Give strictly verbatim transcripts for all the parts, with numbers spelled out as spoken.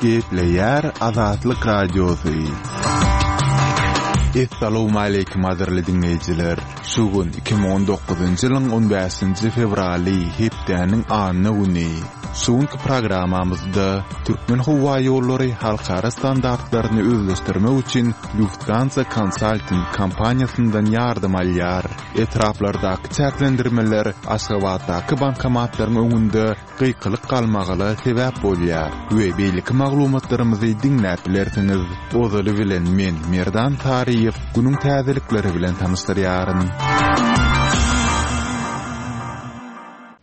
Gepleýär Azatlyk Radiosy. Essalawmaleýkim gadyrly diňleýjiler! Şu gün iki müň on dokuzynjy ýylyň on bäşinji fewraly, hepdäniň anna güni. Şu günki programmamyzda Türkmenhowaýollary halkara standartlaryny özleşdirmek üçin Lufthansa Consulting kompaniýasyndan ýardam alýar. Etraplardaky çäklendirmeler Aşgabatdaky bankomatlaryň öňünde gykylyk galmagala sebäp bolýar we beýleki maglumatlarymyzy diňläp bilersiňiz. Ozaly bilen men, Merdan Saryýew, günüň täzelikleri bilen tanyşdyrýaryn.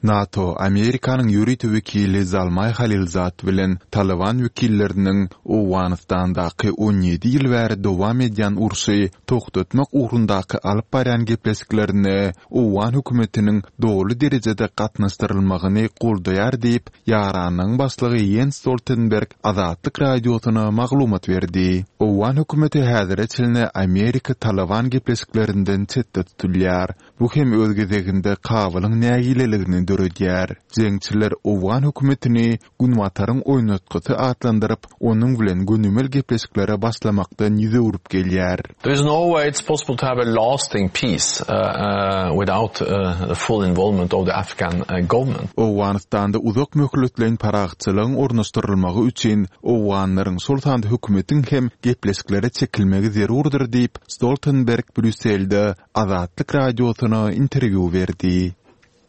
NATO, Amerikanyň ýörite wekili Zalmaý Halilzad bilen Talyban wekilleriniň Owganystandaky on ýedi ýyl bäri dowam edýän urşy togtatmak ugrundaky alyp barýan gepleşiklerine owgan hökümetiniň doly derejede gatnaşdyrylmagyny goldaýar diýip, ýaranlygyň başlygy Ýens Stoltenberg Azatlyk Radiosyna maglumat berdi. Owgan hökümeti häzire çenli Amerika-Talyban gepleşiklerinden çetde tutulýar. Bu hem öz gezeginde Kabulyň nägileligini döredýär. Jeňçiler owgan hökümetini Günbataryň oýnatgysy atlandyryp, onuň bilen gönümel gepleşiklere başlamakdan ýüz öwrüp gelýär. There is no way it's possible to have a lasting peace without the full involvement of the Afghan government. Owganystanda uzak möhletleýin parahatçylygyň ornaşdyrylmagy üçin owganlaryň, şol sanda hökümetiň hem gepleşiklere çekilmegi zerurdyr diýip, Stoltenberg Brýusselde Azatlyk Radiosyna interwýu berdi.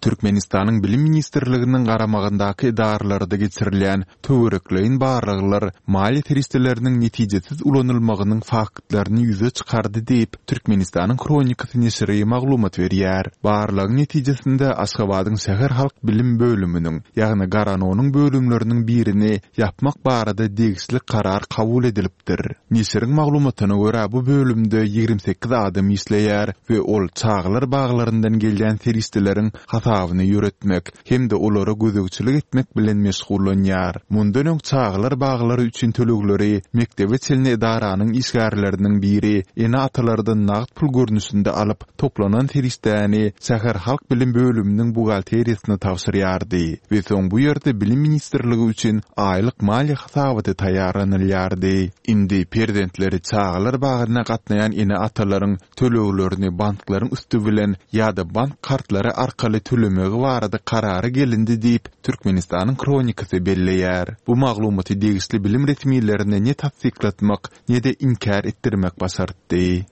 Türkmenistanyň Bilim ministrliginiň garamagyndaky edaralarda geçirilýän töwerekleýin barlaglar maliýe serişdeleriniň netijesiz ulanylmagynyň faktlaryny ýüze çykardy diýip, Türkmenistanyň Hronikasy neşiri maglumat berýär. Barlagyň netijesinde Aşgabadyň şäher halk bilim bölüminiň, ýagny Garanonyň bölümleriniň birini ýapmak barada degişli karar kabul edilipdir. Neşiriň maglumatyna görä, bu bölümde ýigrimi sekiz adam işleýär we ol çagalar baglaryndan gelýän serişdeleriň hasabyny ýöretmek hem-de olara gözegçilik etmek bilen meşgullanýar. Mundan öň çagalar baglary üçin tölegleri mekdebe çenli edaranyň işgärleriniň biri ene-atalardan nagt pul görnüşinde alyp, toplanan serişdäni şäher halk bilim bölüminiň buhgalteriýasyna tabşyrýardy we soň bu ýerde Bilim ministrligi üçin aýlyk maliýe hasabaty taýýarlanylýardy. Indi perzentleri çagalar bagyna gatnaýan ene-atalaryň töleglerini banklaryň üsti bilen ýa-da bank kartlary arkaly tölemegi barada karara gelindi diýip, Türkmenistanyň Hronikasy belleýär. Bu maglumaty degişli bilim resmilerine ne tassyklatmak, ne-de inkär etdirmek başartdy.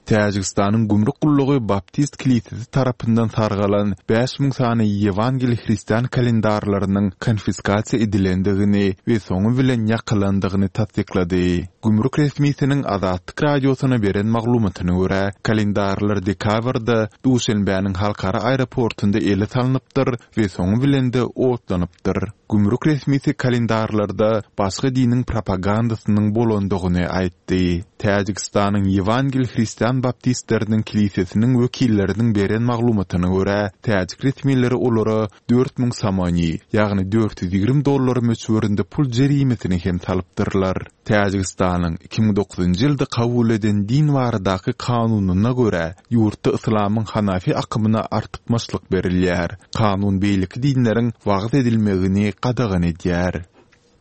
Täjigistanyň gümrük gullugy Baptist kilisesi tarapyndan sargalan bäş müň sany ýewangeliý hristian kalendarlarynyň konfiskasiýa edilendigini we soňy bilen ýakylandygyny tassyklady. Gümrük resmisiniň Azatlyk Radiosyna beren maglumatyna görä, kalendarlar dekabrda Duşenbäniň halkara aeroportunda ele salnypdyr we soňy bilen-de otlanypdyr. Gümrük resmisi kalendarlarda başga diniň propagandasynyň bolandygyny aýtdy. Täjigistanyň Ýewangel hristian baptistleriniň kilisesiniň wekilleriniň beren maglumatyna görä, täjik resmileri olara dört müň somoni, ýagny dört ýüz ýigrimi dollar möçberinde pul jerimesini hem salypdyrlar. Täjigistanyň iki müň dokuzynjy ýylda kabul eden din baradaky kanunyna görä, ýurtda yslamyň hanafi akymyna artykmaçlyk berilýär. Kanun beýleki dinleriň wagyz edilmegini gadagan edýär.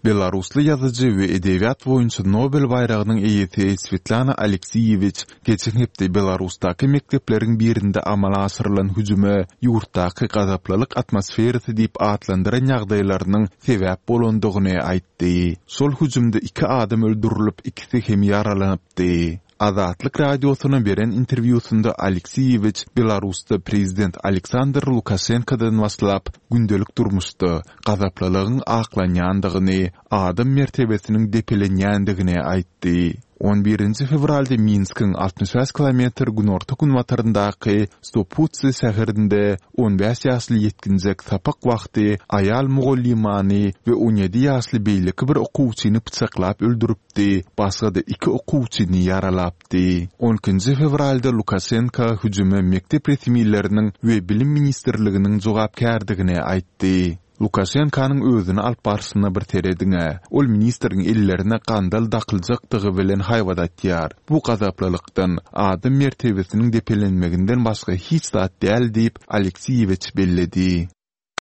Belarusly ýazyjy we edebiýat boýunça Nobel baýragynyň eýesi Swetlana Aleksiýewiç geçen hepde Belarusdaky mekdepleriň birinde amala aşyrylan hüjüme ýurtdaky gazaplylyk atmosferasy diýip atlandyran ýagdaýlarynyň sebäp bolandygyny aýtdy. Şol hüjümde iki adam öldürilip, ikisi hem ýaralanypdy. Azatlyk Radiosyna beren interwýusynda Aleksiýewiç Belarusda prezident Aleksandr Lukaşenkodan başlap, gündelik durmuşda gazaplylygyň aklanýandygyny, adam mertebesiniň depelenýändigini aýtdy. On birinji fewralda Minskiň altmyş bäş kilometr günorta-günbataryndaky Stoputsy şäherinde on bäş ýaşly ýetginjek sapak wagty aýal mugallymany we on ýedi ýaşly beýleki bir okuwçyny pyçaklap öldüripdi, başga-da iki okuwçyny ýaralapdy. On ikinji fewralda Lukaşenko hüjüme mekdep resmileriniň we Bilim ministrliginiň jogapkärdigini aýtdy. Lukaşenkonyň özüni alyp barşyna bir serediň-ä, ol ministriň ellerine gandal dakyljakdygy bilen haýbat atýar. Bu gazaplylykdan, adam mertebesiniň depelenmeginden başga hiç zat däl diýip, Aleksiýewiç belledi.